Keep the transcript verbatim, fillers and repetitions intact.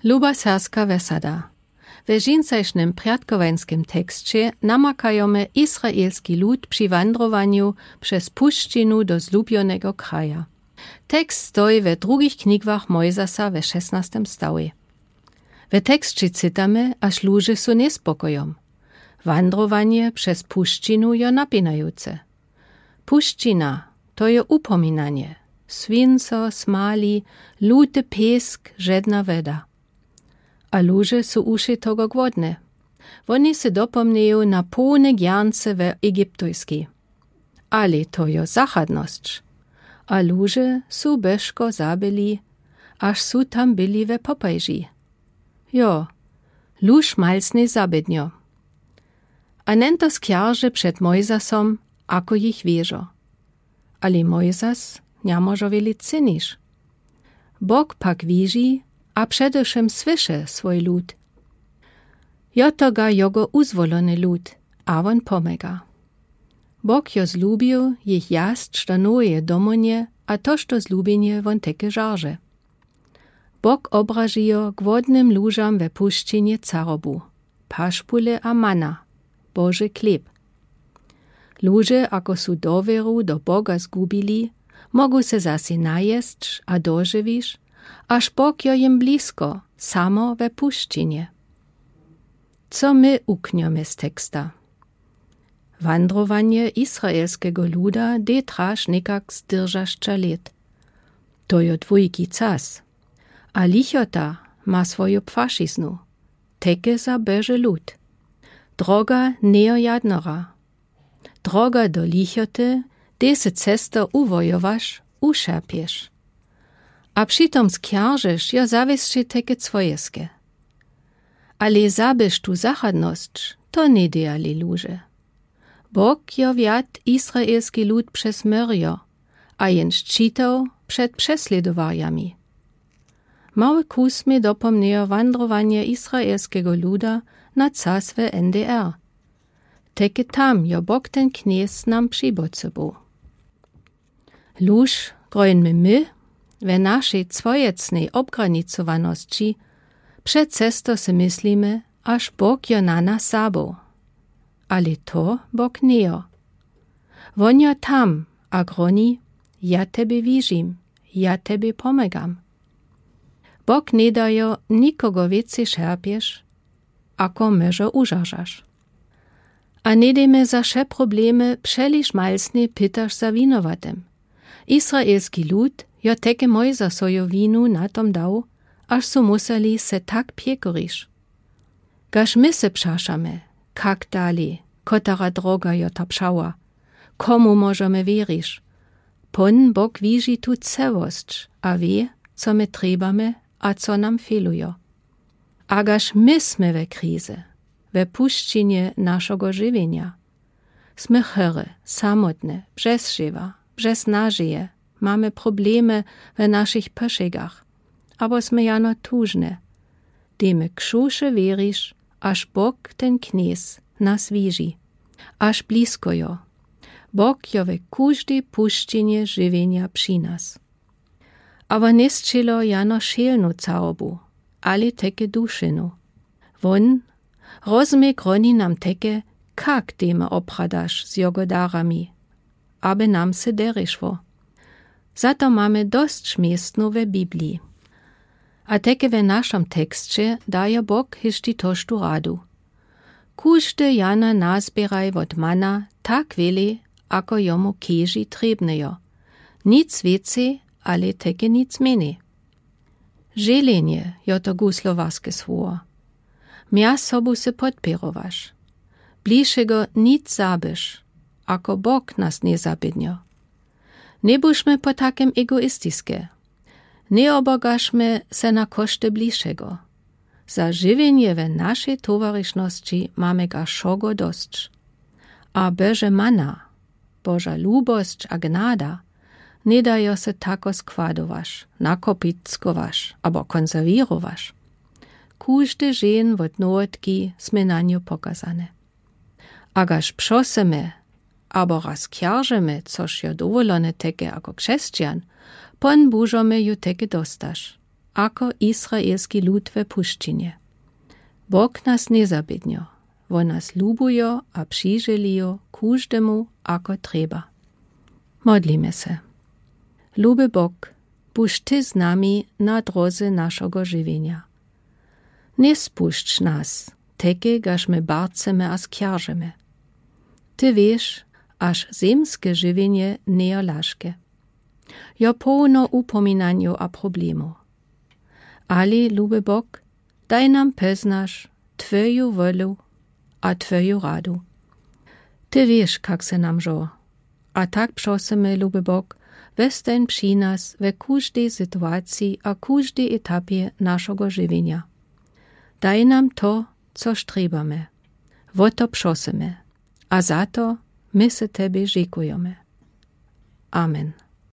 Luba serbska wesada. We dźensajsznym prjatkowańskim teksće namakajome izraelski lud při wandrowanju přez pušćinu do zlubjonego kraja. Tekst stoji we drugich knigach Mojzasa we šesnastem stałi. We teksće cytamy, aż luže su njespokojom. Wandrowanje přez pušćinu jo napinajuce. Pušćina, to je upominanje. Swinco, smali, luty pěsk, žedna weda. A luže su uši togo głodne. Woni se dopomniju na połne gjernce we Egiptujski. Ale to jo zachadnosć. A luže su bežko zabyli, aż su tam byli we popajži. Jo, luž malsne zabydnjo. A nento skjarže před Mojzasom, ako jich wěžo. Ale Mojzas njamóžo wjele cyniš. Bóg pak wěži a předewšym słyše swój lud. Jo to ga jogo uzwolony lud, a wón pomóga. Bóg jo zlubił jich jasć do noweje domonje a toż to zlubjenje wón teke žarže. Bóg obražijo głodnym lužam we pušćinje carobu, pašpule a mana, Boži chleb. Luže, ako su dowěru do Bóga zgubili, mógu se zase najesć a dožiwiš, aż Bóg jo jim blisko, samo we pušćinje. Co my uknjome z teksta? Wandrowanje izraelskego luda dej traš někak zdržašća lět. To jo dwójki cas. A lichota ma swóju płašiznu. Teke za Boži lud. Droga njejo jadnora. Droga do lichoty, dej se cesto uwojowaš, ušerpješ. A přitom skjaržiš jo zawěsće teke cwojeske. Ale zabyš tu zachadnosć, to njedejali luže. Bóg jo wjad izraelski lud přez morjo, a jen šćitoł před přeslědowarjami. Mały kus mie dopomnjejo wandrowanje izraelskego luda na cas we N D R. Teke tam jo Bóg ten Knjez nam při boce był. Luž, grón my my, we našej cwojecnej obgranicowanosći, před cesto se myslimy, aż Bóg jo na nas zabył. Ale to Bóg njejo. Wón jo tam a groni, ja tebie wižim, ja tebie pomogam. Bóg njedajo nikogo wěcej šerpješ, ako môžo užaržaš. A njedejme za wše problemy přeliž malsne pytaš za winowatym. Izraelski lud jo teke Mojzasojo winu na tom dał, aż su museli se tak pjekoriš. Kaž my se přašamy, kak dali, kotera droga jo ta přała, komu móžemy wěriš? Pón Bóg wiži tu całosć a wě, co my trjebamy a co nam fělujo. A kaž my smy we krizy, we pušćinje našogo žiwjenja. Smy chore, samotne, bzez žewa, bzez nažeje, mamy problemy we našich poszegach, abo smy jano tužne. Dejmy křuše wěriš, aż Bóg ten Knjez nas wiži, aż blisko jo. Bóg jo we kóżdej pušćinje žiwjenja při nas. A wón njesćělo jano šelnu carobu, ale teke dušenu. Wón rozmie groni nam teke, kak dejmy opradaš z jogo darami, aby nam se derje szło. Za to mamy dosć městnow we Bibliji. A teke we našom teksće dajo Bóg hišći toż tu radu. Kóżde jano nazběraj wot mana tak wjele, ako jomu keži trjebne jo. Nic wěcej, ale teke nic mjenjej. Željenje jo to guslowarske słowo. Mja sobu se podpěrowaš. Blišego nic zabyš, ako Bóg nas njezabědnjo. Njebušmy potakem egoistiske. Njeobogašmy se na košty blišego. Za žiwjenje we našej towarišnosći mamy ga wšogo dosć. A Bože mana, Boža lubosć a gnada, njedajo se tako składowaš, nakopickowaš abo konserwěrowaš. Kóżdy dźeń wot nowotki smy na njo pokazane. A kaž prosymy, abo raz kjarżymy, což jo dowolone teke ako křesćan, Pón Bóžo mie ju teke dostaš. ako izraelski lud we puščinje. Bóg nas njezabědnjo, wón nas lubujo a přiželijo kóżdemu ako trjeba. Modlimy se. Luby Bóg, bądź ty z nami na drodze našogo žiwjenja. Njezpùšcz nas, tekegaż my barcemy a skjarżymy. Ty wěsz, aż zemske žiwjenje njejo lażke. Jo połno ùpominanjow a problemow. Ale luby Bóg, daj nam poznac twòju wòlu a twòju radu. Ty wěsz, kak se nam żô. A tak prosymy, luby Bóg, westań při nas we kóżdej sytuaciji a kóżdej etapje našogo žiwjenja. Daj nam to, co štrebamy. Wò to prosymy. A za to my se tebie dźekujemy. Amen.